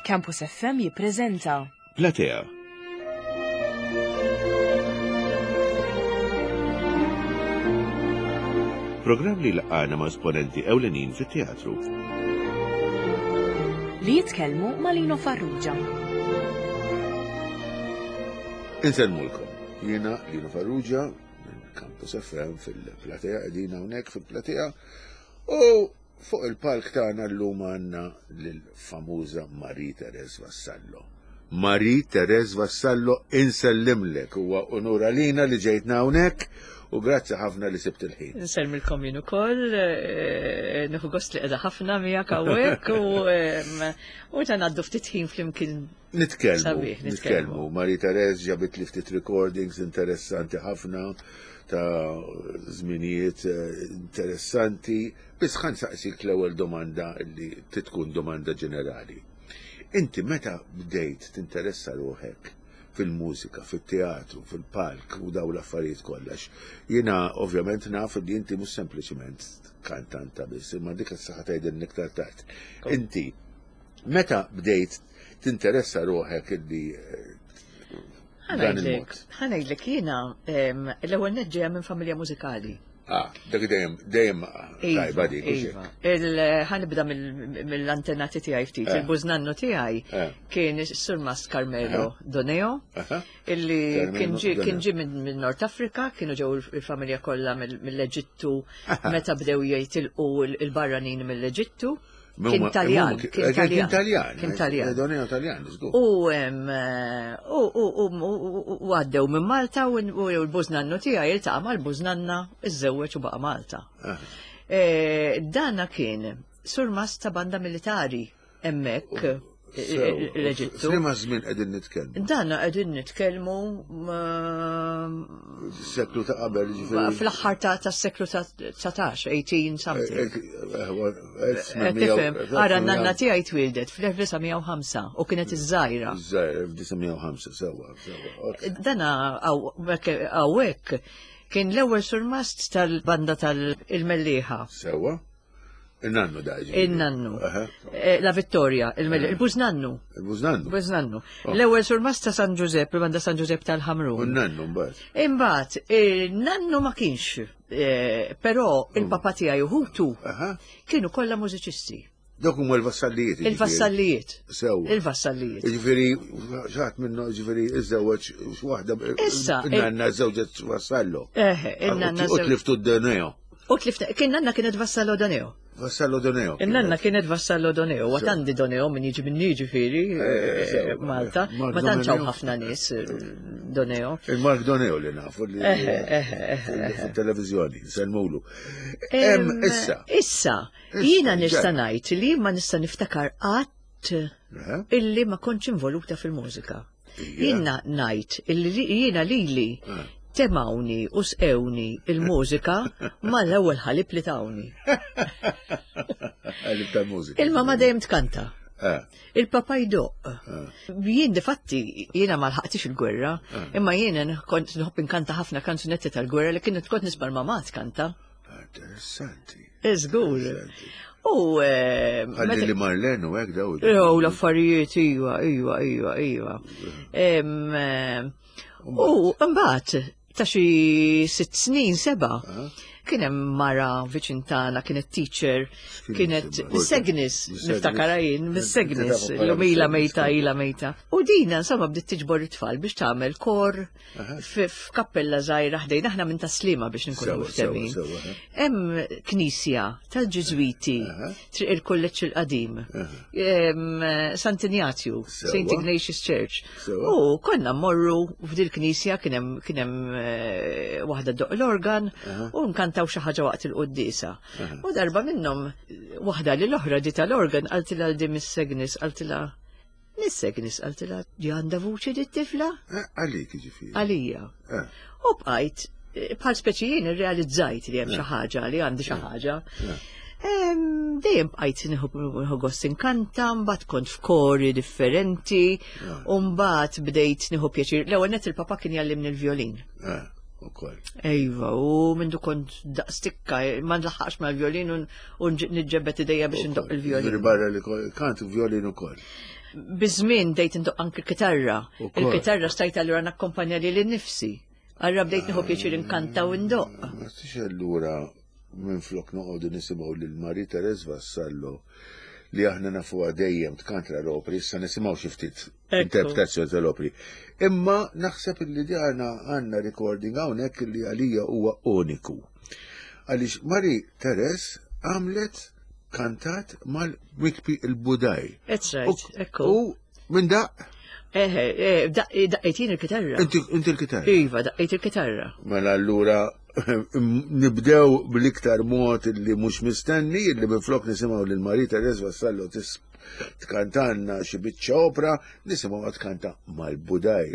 Campus FM jippreżenta Platea. Programm li laqgħana ma' esponenti ewlenin fit-teatru. Li jitkellmu ma' Lino Farrugia. Insellmulkom. Jiena Lino Farrugia minn Campus FM fil-Platea, qegħdin hawnhekk fil-Platea. U fuq il-palk tagħna llum għandna lill-famuża Marie Therese Vassallo. Marie Therese Vassallo insellimlek huwa unur għalina li ġejtna hawnhekk u grazzi ħafna li sibt il-ħin. Insellmilkom jien ukoll, eh, nieħu gost li qiegħda ħafna miegħek hawnhekk u u ta' ngħaddu ftit ħin flimkien Nitkellmu, nitkellmu. Marie Therese ġabit li ftit recordings interessanti ħafna ta' żminijiet eh, interessanti. Biss ħan saqsik l-ewwel domanda li titkun domanda ġenerali. Inti meta bdejt tinteressa ruħek fil-mużika, fit-teatru, fil-palk u daw l-affarijiet kollax. Jiena ovvjament naf li inti mhux sempliċiment kantanta biss, imma dik is-saħħa tgħidilni iktar tard. Inti Meta bdejt tinteressa ruħek illi eh, dan il-mod? Ħanejdlek jiena l-ewwel neġġeja minn familja mużikali. Ah, dak dejjem dejjem iva, tajba dik. Iva. Ħanibda mill-antenati tiegħi ftit. Eh. Il-bużnannu tiegħi eh. kien is-Surmast Carmelo Doneo, illi kien ġie minn Nord Afrika, kienu ġew il-familja kollha mill-Eġittu meta bdew jitilqu il-barranin mill-Eġittu. Kien Taljan. Kien Taljan. Kien Taljan. Doneo Taljan, żgur. U u għaddew minn Malta u l-bużnannu tiegħi iltaqa' mal-bużnanna iżżewweġ u baqa' Malta. Ah. E, dana kien surmast ta' banda militari hemmhekk l-Eġittu. F'liema żmien qegħdin nitkellmu? Dan qegħdin nitkellmu Seklu ta' qabel ġifieri. Fl-aħħar ta' tas-seklu ta' 19, 18 something. Eh, eh, tifhem, ara n-nanna tiegħi twildet fl-1905 u kienet iż-żgħira. Iż-żgħira 1905 sewwa, sewwa. Dana hawnhekk kien l-ewwel surmast tal-banda tal-Mellieħa. Sewwa. Il-nannu da Il-nannu. Eh, La Vittoria, il-bużnannu. Il-bużnannu. Bużnannu. Oh. L-ewwel surmast ta' San Giuseppe, banda San Giuseppe tal-Ħamrun. U nannu mbagħad. Imbagħad, il-nannu ma kienx, eh, però mm. il-papa tiegħi u ħutu kienu kollha mużiċisti. Dawk huma l-vassallijiet. Il-vassallijiet. Sew. Il-vassallijiet. Ġifieri xaħat minnu ġifieri iżżewweġ waħda. Issa. Nanna żewġet vassallo. Eh, nanna. U tliftu d-deneo. U tlifta, kien nanna kienet vassallo Doneo. Vassallo Doneo. Il-nanna kienet vassallo Doneo, għat għandi Doneo minn jiġi minn jiġifieri eh, eh, Malta, ma tantx hawn ħafna nies eh, Doneo. Il-Mark Doneo li nafu li televizjoni, selmulu. Issa. Issa, jiena nista' ngħid li ma nista' niftakar qatt illi ma kontx involuta fil-mużika. Jiena ngħid illi jiena lili eh. temawni u sqewni il-mużika mal-ewwel ħalib li tawni. Ħalib tal-mużika. Il-mama dejjem tkanta. Eh. Il-papa jdoq. Eh. Jien difatti jiena ma lħaqtix il-gwerra, imma jiena kont nħobb inkanta ħafna kanzunetti tal-gwerra li kienet kont nisma' l-mama tkanta. Interessanti. Żgur. U. Eh, Għalli li Marlene u hekk daw. Jew l-affarijiet, iva, iva, iva, iva. Eh, u mbagħad ta' xi sitt snin seba' kien hemm mara viċin tagħna kienet teacher, kienet Segnis, niftakara jien, Segnis, l-lum ilha mejta ilha mejta. U dina insomma bdiet tiġbor it-tfal biex tagħmel kor f'kappella żgħira ħdejn aħna minn taslima biex nkunu miftemin. Hemm knisja tal-Ġiżwiti triq il-kulleġġ il-qadim. Sant Ignazju, St. Ignatius Church. U konna mmorru f'dil knisja kien hemm eh, waħda doq l-organ u nkantaw xi ħaġa waqt il-quddiesa. U darba minnhom waħda li l-oħra di tal-organ qaltilha di Miss Agnes qaltilha Miss Agnes qaltilha di għandha vuċi di t-tifla? Eh, għalik ġifieri. Għalija. Eh. U bqajt eh, bħal speċi jien irrealizzajt li hemm xi ħaġa li għandi xi ħaġa. Dejjem bqajt nieħu gost inkanta, mbagħad kont f'kori differenti, u mbagħad bdejt nieħu pjaċir. L-ewwel net il-papa kien jgħallimni l-vjolin. Ukoll. Ejva, u mindu kont daqstikka, ma nlaħħax mal-vjolin u nġebbet idejja biex ndoq il-vjolin. Barra li kant vjolin ukoll. Biż-żmien bdejt indoqq anki kitarra. Il-kitarra stajt allura nakkompanja lili nnifsi. Allura bdejt nieħu pjaċir inkanta u ndoqq. Ma tix allura minflok noqogħdu nisimgħu lil Marie Therese Vassallo li aħna nafuha dejjem tkanta l-opri, issa nisimgħu xi ftit interpretazzjoni tal-opri. Imma naħseb li għandna għandna recording hawnhekk li għalija huwa uniku. Għaliex Marie Therese għamlet kantat mal-Mikpi il-Budaj. That's right, ekku. U minn daq? Eħe, eh, daqqejt jien il-kitarra. Inti il-kitarra? Iva, daqqejt il-kitarra. Mela allura nibdew bl-iktar mod li mhux mistenni, li minflok nisimgħu lil Marie Therese Vassallo tkantanna xi biċċa opra, nisimgħu tkanta mal-Budaj.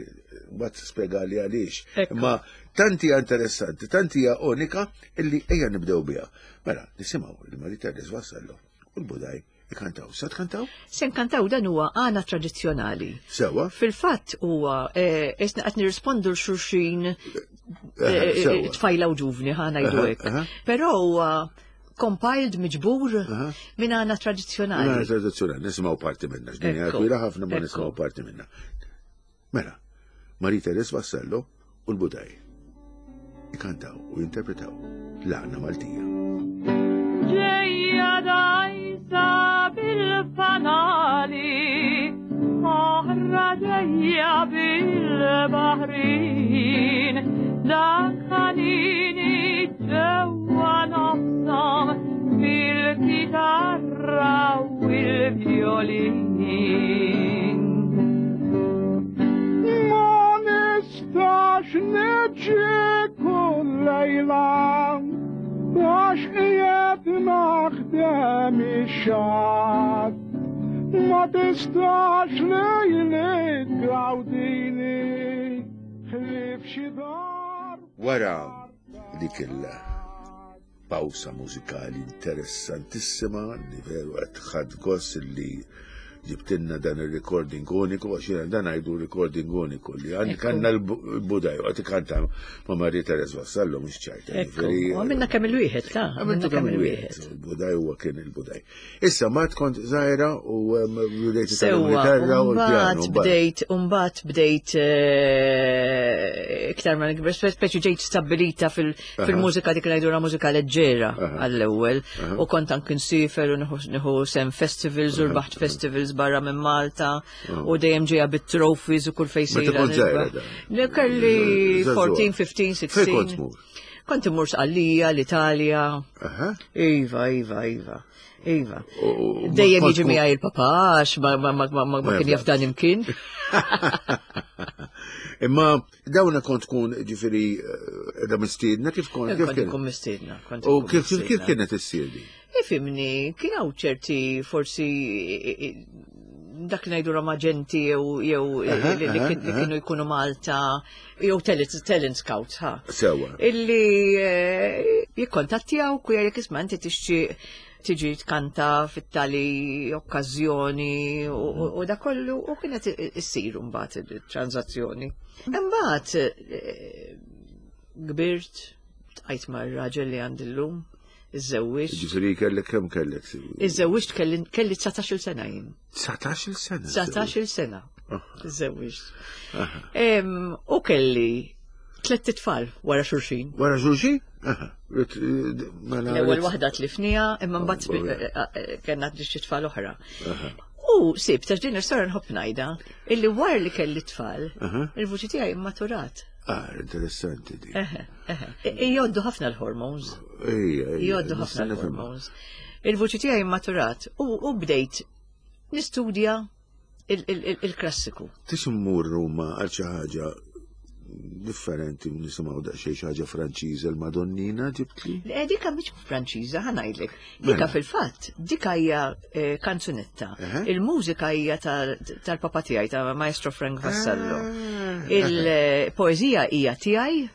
Mbagħad spjegali għaliex. Imma tanti hija interessanti, tanti hija unika illi ejja nibdew biha. Mela, nisimgħu lil Marie Therese Vassallo u l-Budaj ikantaw. Sa tkantaw? Se nkantaw dan huwa għana tradizzjonali. Sewa. Fil-fatt huwa eh, isna qed nirrispondu l-xulxin eh, eh, tfajla u ġuvni ħa ngħidu hekk. Però huwa compiled miġbur minn għana tradizzjonali. Għana tradizzjonali, nisimgħu parti minna, x'dinja twila ħafna ma nisimgħu parti minna. Mela, Marie Therese Vassallo u l-Budaj ikantaw u jinterpretaw l-għana Maltija. Ġejja dajsa bil-fanali, oħra ġejja bil-baħrin, dak ħanini ġewwa nofshom bil-kitarra u l-vjolin. Ma nistax niġi kull lejla għax qiegħed naħdem ix-xatt. Ma tistax lejli tgawdini ħlief xi dar. Wara dik il- Pawsa mużikali interessantissima li veru qed ħadd gost li ġibtilna dan il-recording uniku, għax jiena dan għajdu recording uniku li għandi kanna l-budaj, għati kanta ma Marie Therese Vassallo mux ċajta. Għamilna kemm il-wieħed, ta' għamilna kemm il-wieħed. Il-budaj huwa kien il-budaj. Issa, ma tkont zaħira u bdejt il-gitarra u l-pjano. Bdejt, umbat bdejt eh, iktar ma nikber, speċi ġejt stabilita fil-mużika dik li ngħidulha mużika leġġera għall-ewwel u kont anki nsifer u nieħu sem festivals u rbaħt festivals barra minn Malta u dejjem ġejja bit-trophies u kull fejn sejra. Kelli 14, 15, 16. Kont immur Sqallija, l-Italja. Iva, iva, iva. Iva. Dejjem jiġi miegħi il-papa għax ma kien jaf dan imkien. Imma Dawna kont tkun ġifiri eh, da mistiedna kif kont? Kif kien? Kont mistiedna. U kif kif kienet issir di? Ifimni, kien hawn ċerti forsi dak li ngħidu maġenti jew jew li kienu jkunu Malta jew talent scouts ha. Sewa. Illi eh, jikkontattjaw ku jgħidlek isma' inti tixtieq tiġi tkanta fit-tali okkażjoni u da kollu u kienet issir mbagħad it-transazzjoni. Imbagħad eh, kbirt, tqajt mar-raġel li għandi llum, iżżewwiġt. Ġifieri kellek kemm kellek? Iżżewwiġt kelli 19-il sena jien. 19-il sena? 19-il sena. Iżżewwiġt. U kelli tlett itfal wara xulxin. Wara xulxin? Mela L-ewwel waħda tlifnija, imma mbagħad eh, eh, kellna xi tfal oħra. U sib ta' din is-sora nħobb ngħidha illi wara li kelli tfal, il-vuċi tiegħi immaturat. Ah, interessanti di. Joddu ħafna l-hormones. Joddu ħafna l-hormones. Il-vuċi tiegħi immaturat u bdejt nistudja il-klassiku. Tix immur Ruma għal xi ħaġa differenti nisimgħu daqsxejn xi ħaġa Franċiża l-Madonnina ġibtli? Le dika mhix Franċiża ħa ngħidlek. Dika mela. fil-fatt, dika hija eh, kanzunetta. Il-mużika hija tal-papa tiegħi ta' Maestro Frank Vassallo. Ah. Il-poeżija hija tiegħi.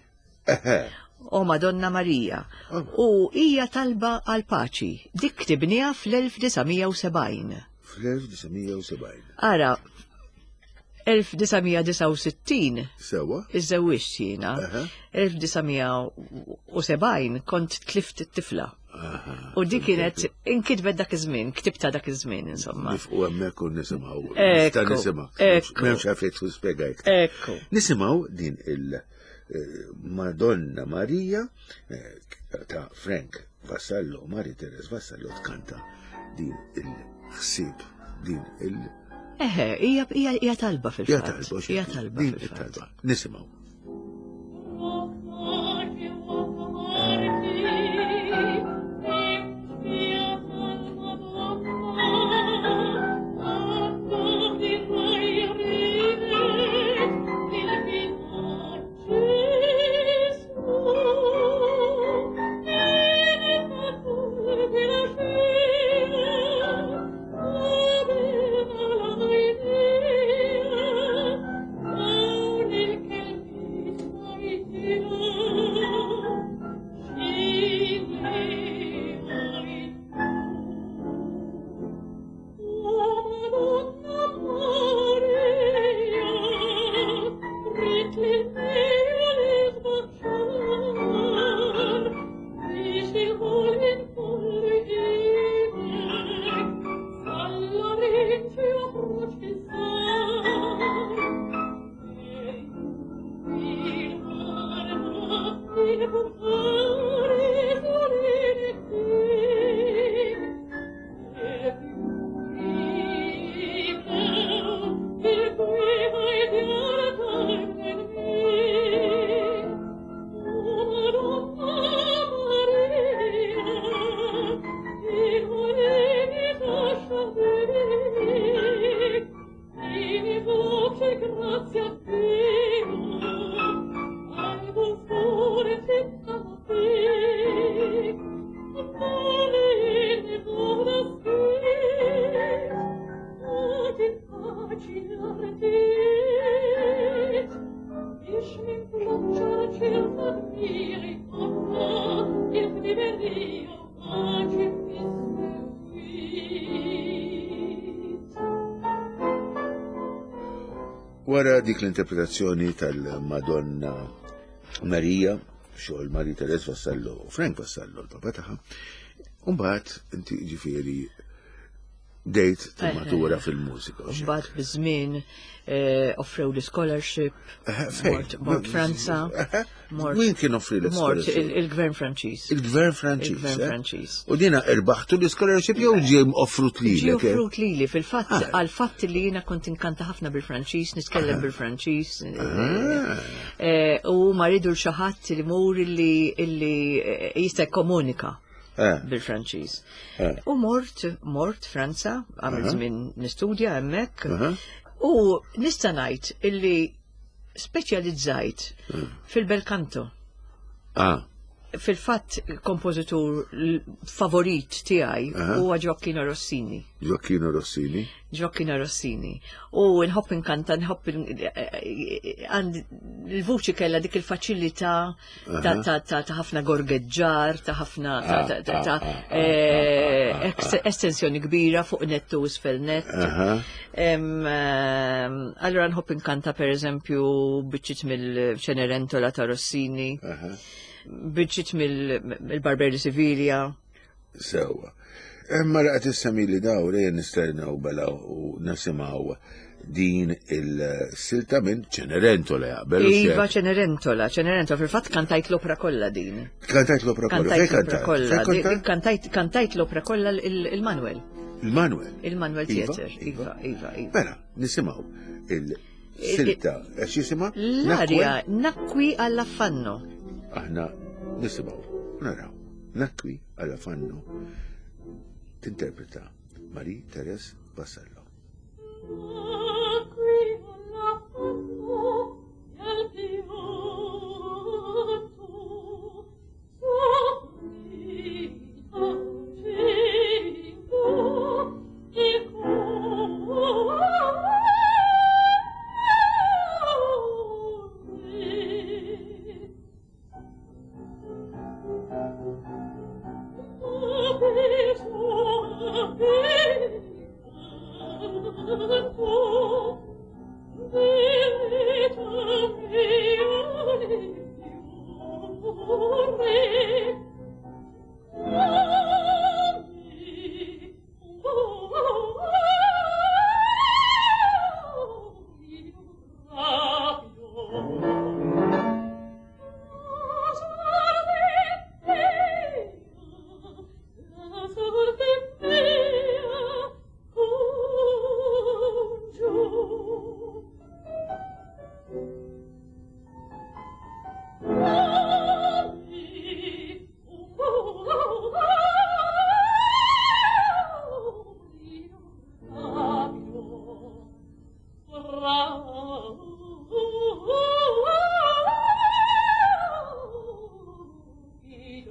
O Madonna Marija. Oh. U hija talba għal paċi. Dik ktibniha fl-1970. Fl-1970. Ara, 1969. Sewa. Iżżewwiġt jiena. 1971. 71 kont tlift it-tifla. U dik kienet inkitbet dak iż-żmien, ktibta dak iż-żmien insomma. Nifqu hemmhekk u nisimgħu. Nista' nisimgħu. M'hemmx għalfejn tkun spjegajt. Ekku. Nisimgħu din il- eh, Madonna Marija eh, ta' Frank Vassallo, Mari Teres Vassallo tkanta din il-ħsieb, din il- Eħe, hija talba fil-fatt. Hija talba, Hija talba fil-fatt. Nisimgħu. Wara dik l-interpretazzjoni tal-Madonna Marija, xogħol Marie Therese Vassallo u Frank Vassallo, l-papa tagħha, mbagħad inti ġifieri bdejt timmatura fil-mużika. u x'hekk. Mbagħad biż-żmien offrew li scholarship, Fejn? mort Franza, mort Min kien offri mort l-scholarship? il-Gvern Franċiż. Il-Gvern Franċiż. Il-Gvern eh? Franċiż. U dina irbaħtu l-scholarship jew ġie offrut Ġie lilek? eh? offrut lili fil-fatt Ah. għal fatt li jiena kont inkanta ħafna bil-Franċiż, nitkellem bil-Franċiż. Ah. U ma ridu xi ħadd li mur illi jista' jikkomunika bil-Franċiż. U mort Franza, għamil żmien nistudja hemmhekk. U nista' ngħid illi speċjalizzajt fil-bel canto. Fil-fatt kompożitur favorit tiegħi huwa Gioacchino Rossini. Gioacchino Rossini. Gioacchino Rossini. U nħobb inkanta, nħobb għandi il-vuċi kellha dik il-faċilità ta' ħafna gorgeġġar, ta' ħafna ta' estensjoni kbira fuq nettu u isfel net. Allora nħobb inkanta per eżempju biċċiet mill-Cenerentola ta' Rossini, biċċiet mill-Barber di Siviglia. Sewa. Imma laqgħet issemmi li daw li nistennew bela u nisimgħu din il-silta minn Cenerentola jaqbel. u Iva xek. Cenerentola, Cenerentola, fil-fatt kantajt l-opra kollha din. Kantajt l-opra kollha. Kantajt Fejn l-opra kollha. Fejn kantajt? Kantajt l-opra kollha il-Manuel. Il-Manuel. Il-Manuel Iva, Theater. Iva. Iva, iva, iva. Mela, nisimgħu il-silta. Għax jisimha? L-arja Nakwi all'affanno. Aħna nisimgħu, naraw. Nakwi all'affanno tinterpreta Marie Therese Vassallo. Oh.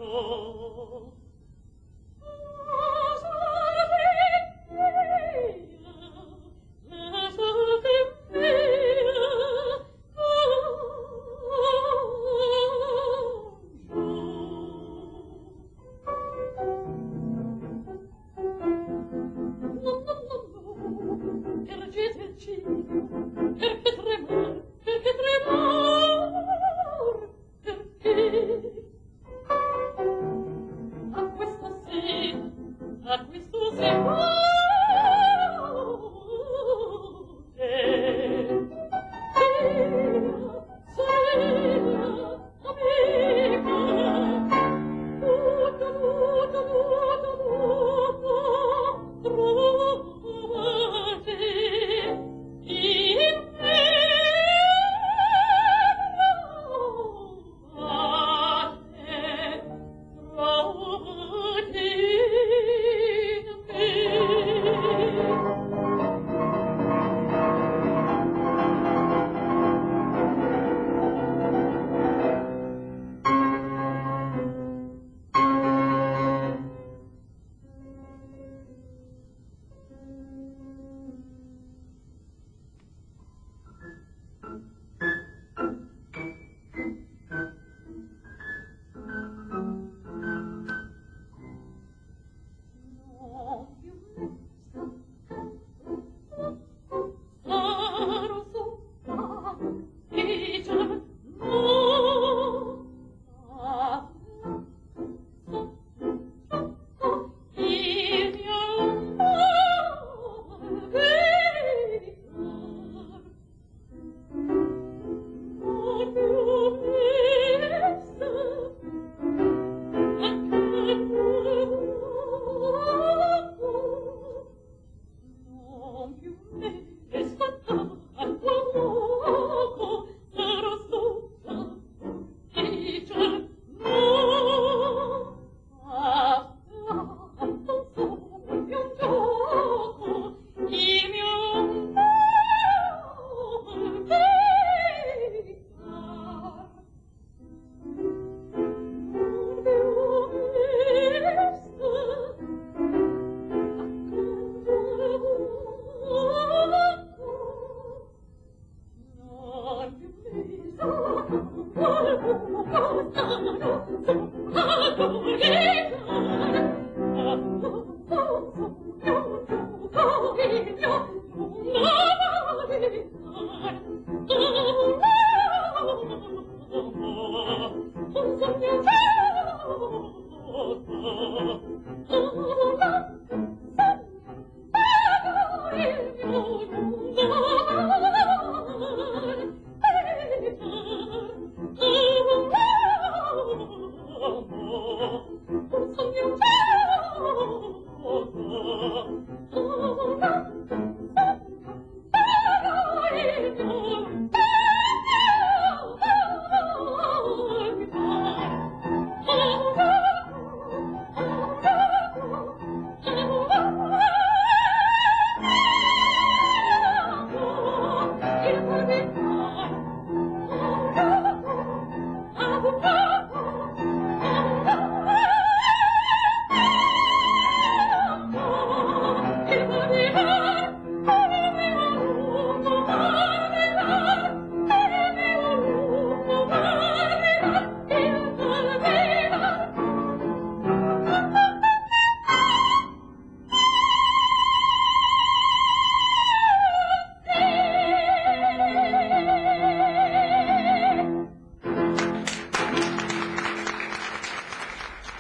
Oh.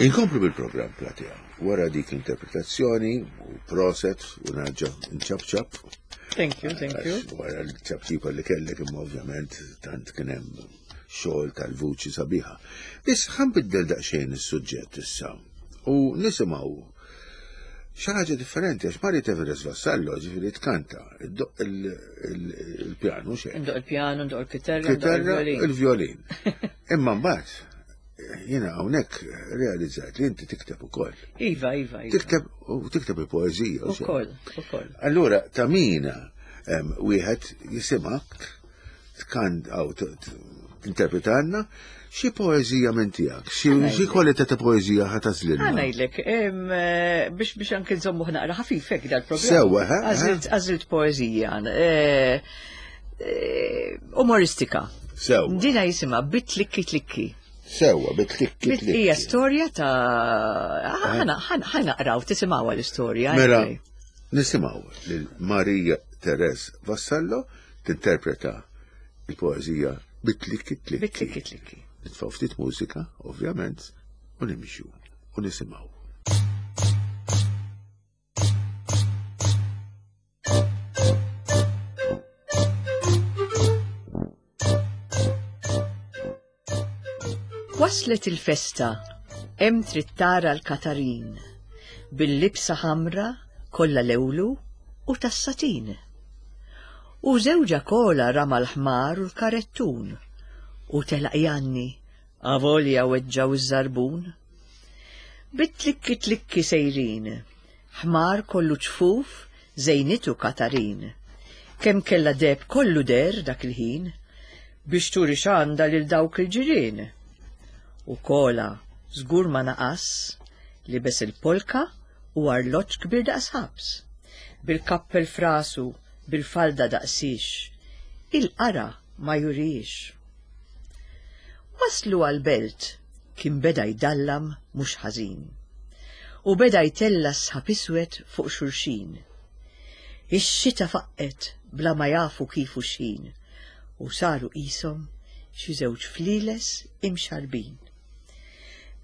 Inkomplu bil-programm Platea. Wara dik l-interpretazzjoni u proset u nerġa' nċapċap. Thank you, thank you. Wara l-ċapċipa li kellek imma ovvjament tant kien hemm xogħol tal-vuċi sabiħa. Biss ħanbiddel daqsxejn is-suġġett issa u nisimgħu xi ħaġa differenti għax Mari Teveres Vassallo ġifieri tkanta iddoq il-pjanu xejn. Ndoq il-pjanu, ndoq il-kitarra, il-violin. Imma mbagħad jiena hawnhekk realizzajt li inti tikteb ukoll. Iva, iva, iva. Tikteb u tikteb il-poeżija. Ukoll, ukoll. Allura ta' mina wieħed jisimak tkan għaw tinterpretanna xi poeżija minn tiegħek, xi kwalità ta' poeżija ħa tażlilna. Ħa ngħidlek, eh, biex biex anke nżommu naqra ħafifek dal-programm. Sewwa, Għażilt poeżija. Eh, eh, umoristika. Sewwa. Dina jisimha Bitlikki Tlikki. Sewwa, bitlikki tlikki. Hija storja ta' ħa naqraw tisimgħuha l-istorja. Mela, nisimgħu lil Marija Teres Vassallo tinterpreta il-poeżija Bitlikki Tlikki. Bitlikki Tlikki. Nitfgħu ftit mużika, ovvjament, u nimxu u nisimgħu. Waslet il-festa, hemm trid tara l-Katarin, bil-libsa ħamra kollha lewlu u tas-satin. U żewġha kola rama l-ħmar u l-karettun, u telaq janni, avolja weġġgħu ż-żarbun. Bit-tlikki tlikki sejrin, Ħmar kollu ċfuf żejnitu Katarin. Kemm kellha deheb kollu deher dak il-ħin. Biex turi x'għandha lil dawk il-ġirien. U Kola żgur ma naqas, libes il-polka u arloġġ kbir daqs ħabs. Bil-kappell f'rasu, bil-falda daqsiex. Il-qara ma jurihiex. Waslu għall-belt, kien beda jdallam mhux ħażin. U beda jtella' sħab iswed fuq xulxin. Ix-xita faqqgħet bla ma jafu kif u x'ħin u saru qishom xi żewġ flieles imxarrbin.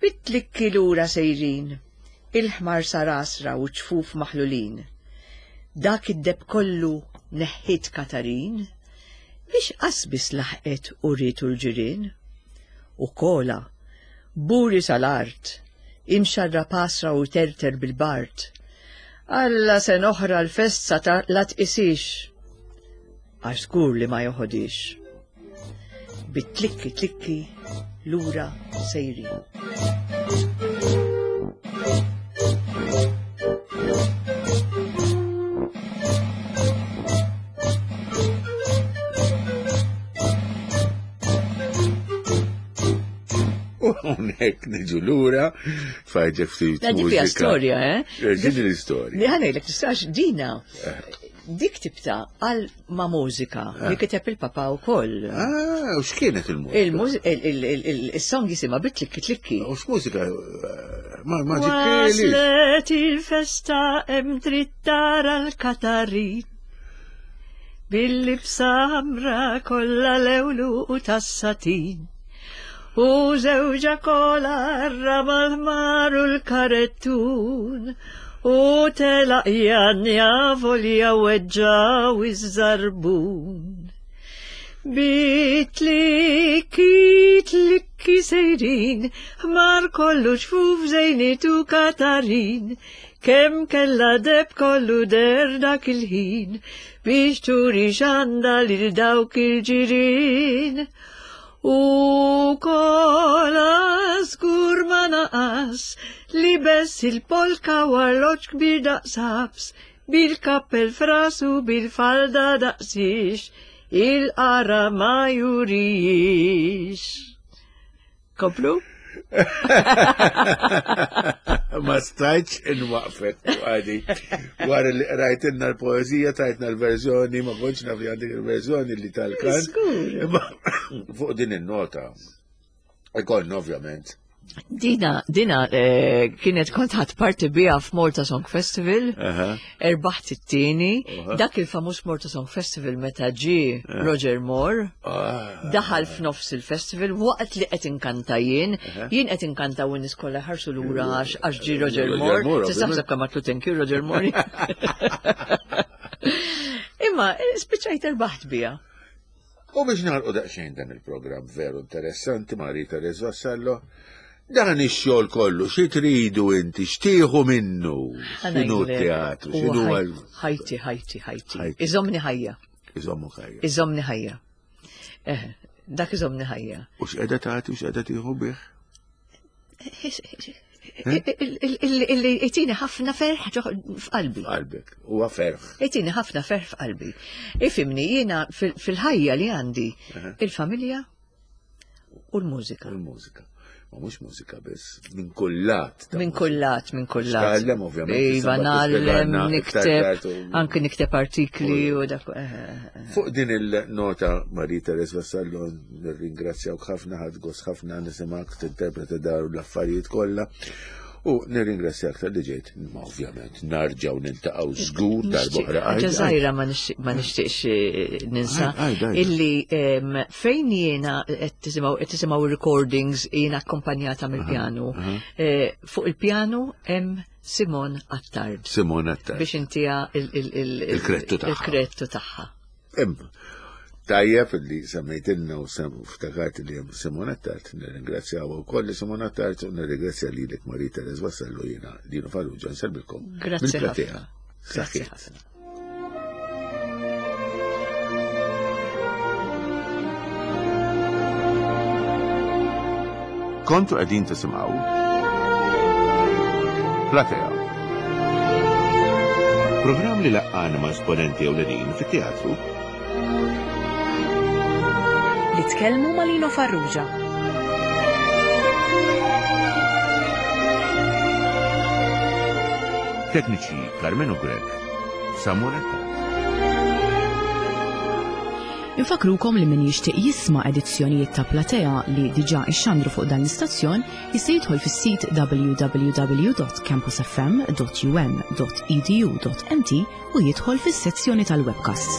Bit-tlikki lura sejrin, il-ħmar sar għasra u ċ-ċfuf maħlulin. Dak id-deheb kollu neħħiet Katarin biex qas biss laħqet u rietu l-ġirien. U Kola, buri sal-art, imxarrab għasra u jterter bil-bard. Alla sena oħra l-festa ta' la tqisix. Għax żgur li ma joħodix. Bit-tlikki tlikki lura sejrin. U hawnhekk niġu lura fajġek ftit. Dik hija storja, eh? eh din l-istorja. Li ħanejlek tistax dina. Eh. Dik tibta għal ma' mużika li eh. kiteb il-papa wkoll. Ah, u x'kienet il-mużika? Il-song jisimha bitlikki tlikki. U x'mużika? Ma ma ġieli. Waslet il-festa hemm trid tara l-Katarin. Bil-libsa ħamra kollha lewlu u tas-satin. U żewġha kola rama l-ħmar u l-karettun. U telaq janja volja weġġaw iż-żarbun. Bitlikki tlikki sejrin, ħmar kollu ċfuf żejnitu Katarin. Kemm kellha deheb kollu deher dak il-ħin biex turi x'għandha lil dawk il-ġirien. U kola żgur ma naqas libes il-polka u arloġġ kbir daqs ħabs bil-kappell f'rasu bil-falda daqsiex il-qara ma jurijiex. Komplu? Ma stajtx inwaqfek għadi. Wara li rajtinna l-poezija, tajtna l-verżjoni, ma kontx naf li għandek il-verżjoni li tal-kant. Fuq din il-nota, ikonna ovvjament. Dina, dina eh, kienet kont ħadd parti biha f'Malta Song Festival, erbaħt it-tieni, dak il-famuż Malta Song Festival meta ġie eh. Roger Moore, ah. daħal f'nofs il-festival waqt li qed inkanta jien, jien qed inkanta u nies kollha ħarsu lura għax ġie Roger Moore, tista' taħseb kemm għatlu thank you Roger Moore. Imma eh, spiċċajt erbaħt biha. U biex nagħlqu daqsxejn dan il-programm veru interessanti ma' Rita Vassallo, dan ix-xogħol kollu xi tridu inti x'tieħu minnu? X'inhu teatru, x'inhu ħajti, ħajti, ħajti. Iżomni ħajja. Iżommu ħajja. Iżomni ħajja. Eh, dak iżomni ħajja. U x'qiegħda tagħti u x'qiegħda tieħu bih? Illi jtini ħafna ferħ f'qalbi. F'qalbek, huwa ferħ. Jtini ħafna ferħ f'qalbi. Ifimni, jiena fil-ħajja li għandi il-familja u l-mużika. Il-mużika. Ma mhux mużika biss, minn kullat. Minn kullat, minn kullat. Tgħallem ovvjament. Iva, nagħallem, nikteb, anke nikteb artikli u dak. Eh, eh, eh. Fuq din il-nota Marie Therese Vassallo nirringrazzjawk ħafna ħadd gost ħafna nisimgħek tinterpreta dar l-affarijiet kollha. U nirringrazzjak tal-li ġejt, ma ovvjament narġaw nintaqgħu żgur darb'oħra. Ħaġa żgħira ma nixtieqx eh, ninsa illi fejn jiena qed tisimgħu recordings jiena akkompanjata mill-pjanu. Eh, fuq il-pjanu hemm Simon Attard. Simon Attard. Biex intija il-krettu tagħha. Il-krettu tagħha. Imma, tajjeb li semmejtilna u ftakart li hemm Simon Attard, nirringrazzjaw ukoll li Simon Attard u nirringrazzja lilek Marie Therese Vassallo jiena Dino Farrugia nsellmilkom. Grazzi ħafna. Grazzi ħafna. Kontu qegħdin tisimgħu Platea. Programm li laqqana ma' esponenti ewlenin fit-teatru. Li tkellmu ma' Lino Farrugia. Tekniċi Carmenu Grech, Samuel Attard. Infakrukom li min jixtieq jisma' edizzjonijiet ta' Platea li diġà ixxandru fuq dan l-istazzjon jista' jidħol fis-sit www.campusfm.um.edu.mt u jidħol fis-sezzjoni tal-webcasts.